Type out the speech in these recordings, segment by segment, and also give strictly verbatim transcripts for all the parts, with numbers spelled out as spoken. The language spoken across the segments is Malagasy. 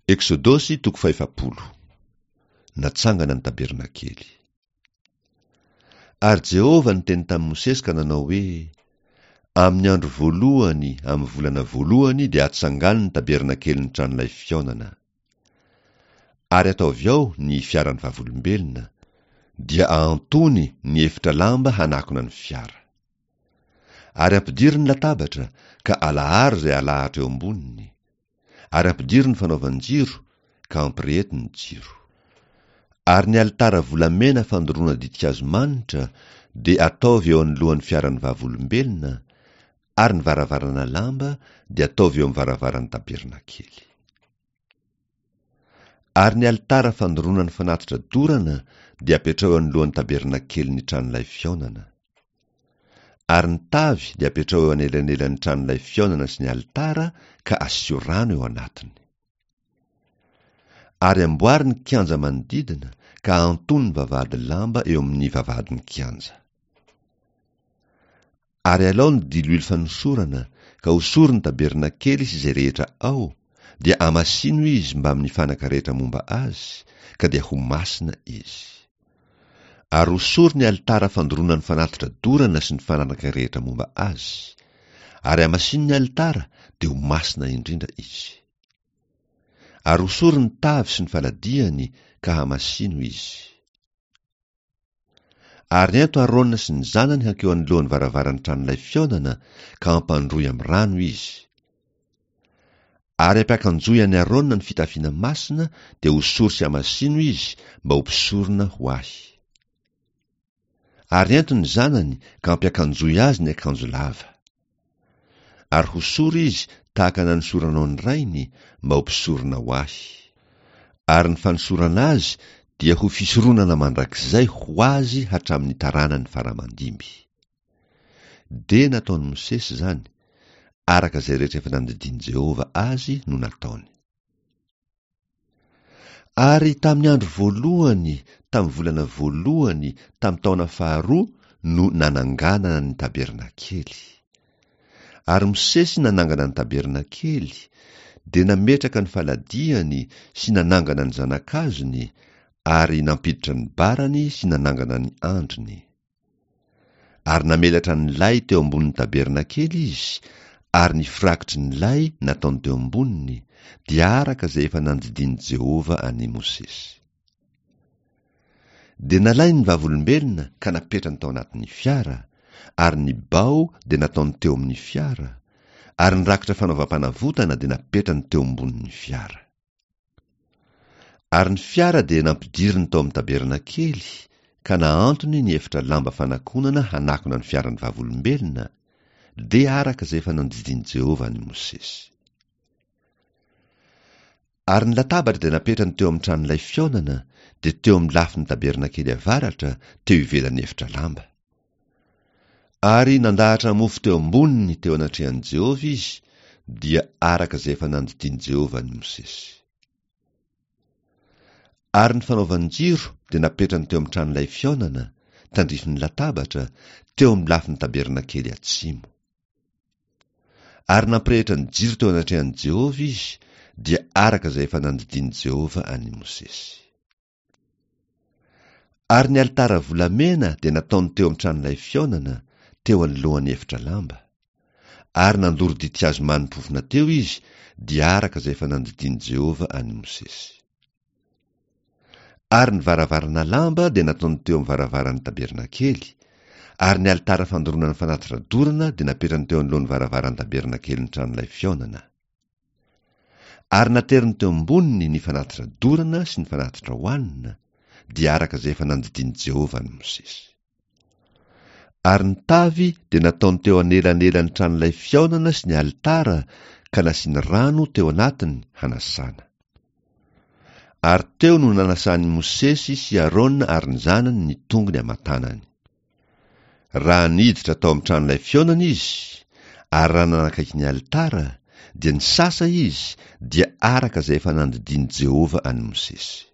Eksodosy toko fahefapolo. Natsangana ny tabernakely. Ary Jehovah niteny tamin'i Mosesy ka nanao hoe, Amin'ny andro voalohany, amin'ny volana voalohany dia atsangano ny tabernakelin'ny tranolay fihaonana. Ary ataovy ao ny fiaran'ny vavolombelona, dia ahantony ny efitra lamba hanakona ny fiara. Ary ampidiro ny latabatra, ka alaharo izay alahatra eo amboniny. Ary ampidiro ny fanaovan-jiro, ka ampireheto ny jiro. Ary ny alitara volamena fandoroana ditin-kazo manitra dia ataovy eo anoloan'ny fiaran'ny vavolombelona, ary ny varavarana lamba dia ataovy eo amin'ny varavaran'ny tabernakely. Ary ny alitara fandoroana ny fanatitra dorana dia apetrao eo anoloan'ny tabernakelin'ny tranolay fihaonana. Ary ny tavy dia apetrao eo anelanelan'ny tranolay fihaonana sy ny alitara ka asio rano eo anatiny. Ary amboary ny kianja manodidina ka ahantony ny vavahady lamba eo amin'ny vavahadin'ny kianja. Ary alao ny diloilo fanosorana ka hosory ny tabernakely sy izay rehetra ao, dia amasino izy mbamin'ny fanaka rehetra momba azy, ka dia ho masina izy. Ary hosory ny alitara fandoroana ny fanatitra dorana sy ny fanaka rehetra momba azy. Ary amasino ny alitara, dia ho masina indrindra izy. Ary hosory ny tavy sy ny faladiany, ka hamasino izy. Ary ento Aarona sy ny zanany hankeo anoloan'ny varavaran'ny tranolay fihaonana, ka ampandroy amin'ny rano izy. Ary ampiakanjoy an'i Aarona ny fitafiana masina, dia hosory sy hamasino izy mba ho mpisorona ho ahy. Ary ento ny zanany ka ampiakanjoy azy ny akanjo lava. Ary hosory izy tahaka nanosoranao ny rainy mba ho mpisorona ho ahy. Ary ny fanosorana azy dia ho fisoronana mandrakizay ho azy hatramin'ny taranany faramandimby. Dia nataon'i Mosesy izany, araka izay rehetra efa nandidian'i Jehovah azy no nataony. Ary tamin'ny andro voalohany, tamin'ny volana voalohany, tamin'ny taona faharoa no nananganana ny tabernakely. Ary Mosesy nanangana ny tabernakely, dia nametraka ny faladiany sy nanangana ny zanakazony, ary nampiditra ny barany sy nanangana ny andriny. Ary namelatra ny lay teo ambonin'ny tabernakely izy, ary ny firakotry ny lay nataony teo amboniny, dia araka izay efa nandidian'i Jehovah an'i Mosesy. Dia nalainy ny vavolombelona ka napetrany tao anatin'ny fiara, ary ny bao dia nataony teo amin'ny fiara, ary ny rakitra fanaovam-panavotana dia napetrany teo ambonin'ny fiara. Ary ny fiara dia nampidiriny tao amin'ny tabernakely, ka nahantony ny efitra lamba fanakonana hanakona ny fiaran'ny vavolombelona, dia araka izay efa nandidian'i Jehovah an'i Mosesy. Ary ny latabatra dia napetrany teo amin'ny tranolay fihaonana, dia teo amin'ny lafin'ny tabernakely avaratra, teo ivelan'ny efitra lamba. Ary nandahatra mofo teo amboniny teo anatrehan'i Jehovah izy, dia araka izay efa nandidian'i Jehovah an'i Mosesy. Ary ny fanaovan-jiro dia napetrany teo amin'ny tranolay fihaonana, tandrifin'ny latabatra, teo amin'ny lafin'ny tabernakely atsimo. Ary nampirehitra ny jiro teo anatrehan'i Jehovah izy, dia araka izay efa nandidian'i Jehovah an'i Mosesy. Ary ny alitara volamena dia nataony teo amin'ny tranolay fihaonana, teo anoloan'ny efitra lamba. Ary nandoro ditin-kazo mani-pofona teo izy, dia araka izay efa nandidian'i Jehovah an'i Mosesy. Ary ny varavarana lamba dia nataony teo amin'ny varavaran'ny tabernakely, ary ny alitara fandoroana ny fanatitra dorana dia napetrany teo anoloan'ny varavaran'ny tabernakelin'ny tranolay fihaonana. Ary nateriny teo amboniny ny fanatitra dorana sy ny fanatitra hohanina, dia araka izay efa nandidian'i Jehovah an'i Mosesy. Ary ny tavy dia nataony teo anelanelan'ny tranolay fihaonana sy ny alitara, ka nasiany rano teo anatiny hanasana. Ary teo no nanasan'i Mosesy sy Aarona ary ny zanany ny tongony aman-tanany. Raha niditra tao amin'ny tranolay fihaonana izy, ary raha nanakaiky ny alitara, dia nisasa izy, dia araka izay efa nandidian'i Jehovah an'i Mosesy.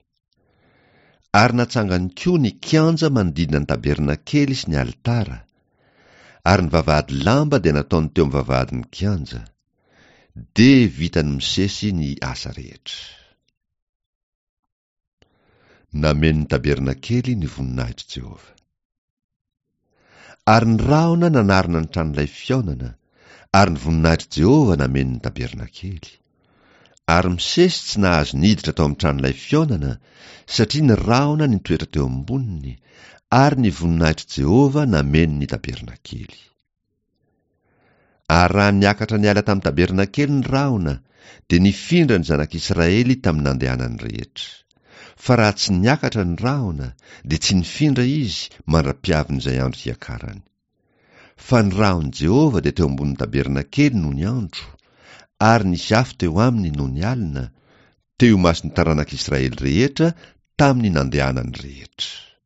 Ary natsangany koa ny kianja manodidina ny tabernakely sy ny alitara, ary ny vavahady lamba dia nataony teo amin'ny vavahadin'ny kianja. Dia vitan'i Mosesy ny asa rehetra. Nameno ny tabernakely ny voninahitr'i Jehovah. Ary ny rahona nanarona ny tranolay fihaonana, ary ny voninahitr'i Jehovah nameno ny tabernakely. Ary Mosesy tsy nahazo niditra tao amin'ny tranolay fihaonana, satria ny rahona nitoetra teo amboniny, ary ny voninahitr'i Jehovah nameno ny tabernakely. Ary raha niakatra niala tamin'ny tabernakely ny rahona, dia nifindra ny zanak'Israely tamin'ny nandehanany rehetra. Fa raha tsy niakatra ny rahona, dia tsy nifindra izy mandra-piavin'izay andro hiakarany. Fa ny rahon'i Jehovah dia teo ambonin'ny tabernakely nony andro, ary nisy afo teo aminy nony alina, teo imason'ny taranak'Israely rehetra tamin'ny nandehanany rehetra.